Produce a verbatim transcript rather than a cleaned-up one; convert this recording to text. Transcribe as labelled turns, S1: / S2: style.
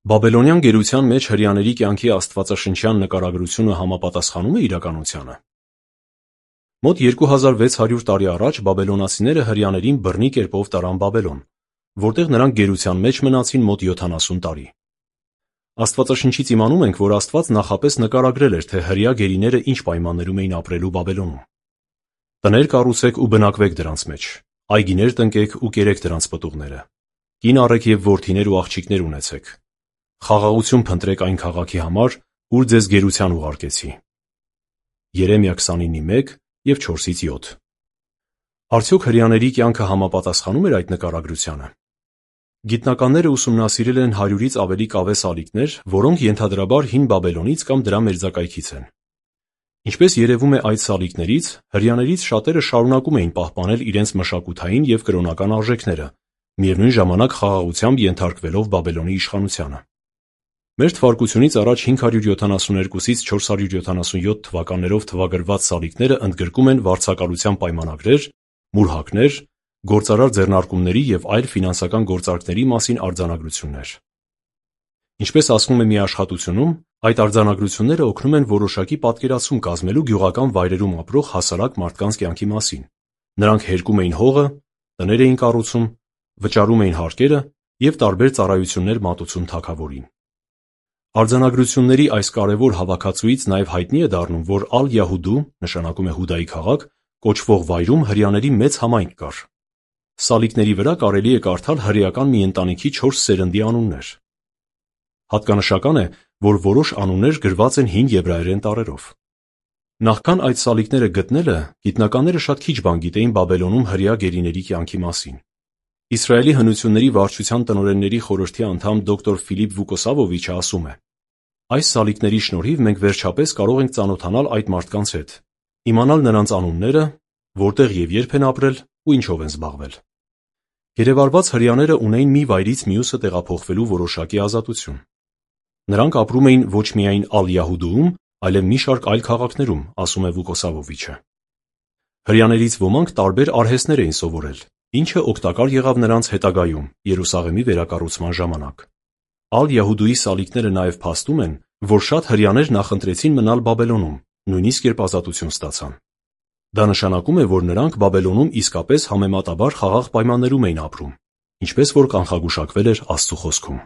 S1: Բաբելոնյան գերության մեջ հրեաների կյանքի աստվածաշնչյան նկարագրությունը համապատասխանում է իրականությանը։ Մոտ երկու հազար վեց հարյուր տարի առաջ բաբելոնացիները հրեաներին բռնի կերպով տարան Բաբելոն, որտեղ նրանք գերության մեջ մնացին մոտ յոթանասուն տարի։ Աստվածաշնչից իմանում ենք, որ Աստված նախապես նկարագրել էր, թե հրեա գերիները ինչ պայմաններում էին ապրելու Բաբելոնում։ Տներ կառուցեք ու բնակվեք դրանց մեջ, այգիներ տնկեք ու կերեք դրանց պտուղները, կին առեք և որդիներ ու աղջիկներ ունեցեք, խաղաղություն փնտրեք այն քաղաքի համար, ուր ձեզ գերության ուղարկեցի։ Երեմիա քսանինի մեկ և չորսից յոթ։ Արդյոք հրեաների կյանքը համապատասխանում էր այդ նկարագրությանը։ Գիտնականները ուսումնասիրել են հարյուրից ավելի կավե սալիկներ, որոնք ենթադրաբար հին Բաբելոնից կամ դրա մերձակայքից են։ Ինչպես երևում է այդ սալիկներից, հրեաներից շատերը շարունակում էին պահպանել իրենց մշակութային և կրոնական արժեքները, միևնույն ժամանակ խաղաղությամբ ենթարկվելով Բաբելոնի իշխանությանը։ Մեր թվարկությունից առաջ հինգ հարյուր յոթանասունյոթից չորս հարյուր յոթանասունյոթ թվականներով թվագրված սալիկները ընդգրկում են վարձակալության պայմանագրեր, մուրհակներ, գործարար ձեռնարկումների և այլ ֆինանսական գործարքների մասին արձանագրություններ։ Ինչպես ասվում է մի աշխատությունում, այդ արձանագրությունները օգնում են որոշակի պատկերացում կազմելու գյուղական վայրերում ապրող հասարակ մարդկանց կյանքի մասին։ Նրանք հերկում էին հողը, տներ էին կառուցում, վճարում էին հարկերը և տարբեր ծառայություններ մատուցում թագավորին։ Արձանագրությունների այս կարևոր հավաքածուից նաև հայտնի է դառնում, որ Ալ-Յահուդու, նշանակում է Հուդայի քաղաք, կոչվող վայրում հրեաների մեծ համայնք կար։ Սալիկների վրա կարելի է կարդալ հրեական մի ընտանիքի չորս սերնդի անուններ։ Հատկանշական է, որ որոշ անուններ գրված են հին եբրայերեն տառերով։ Նախքան այդ սալիկները գտնելը, գիտնականները շատ քիչ բան գիտեին Բաբելոնում հրեա գերիների կյանքի մասին։ Իսրայելի հնությունների վարչության տնօրենների խորհրդի անդամ դոկտոր Ֆիլիպ Վուկոսավովիչը ասում է. «Այս սալիկների շնորհիվ մենք վերջապես կարող ենք ծանոթանալ այդ մարդկանց հետ, իմանալ նրանց անունները, որտեղ և երբ են ապրել ու ինչով են զբաղվել»։ Գերեվարված հրեաները ունեին մի վայրից մյուսը տեղափոխվելու որոշակի ազատություն։ Նրանք ապրում էին ոչ միայն Ալ-Յահուդուում, այլև մի շարք այլ քաղաքներում, ասում է Վուկոսավովիչը։ Հրեաներից ոմանք տարբեր արհեստներ էին սովորել, ինչը օգտակար եղավ նրանց հետագայում Երուսաղեմի վերակառուցման ժամանակ։ Ալ-Յահուդուի սալիկները նաև փաստում են, որ շատ հրեաներ նախընտրեցին մնալ Բաբելոնում, նույնիսկ երբ ազատություն ստացան։ Դա նշանակում է, որ նրանք Բաբելոնում իսկապես համեմատաբար խաղաղ պայմաններում էին ապրում, ինչպես որ կանխագուշակվել էր Աստծու խոսքում։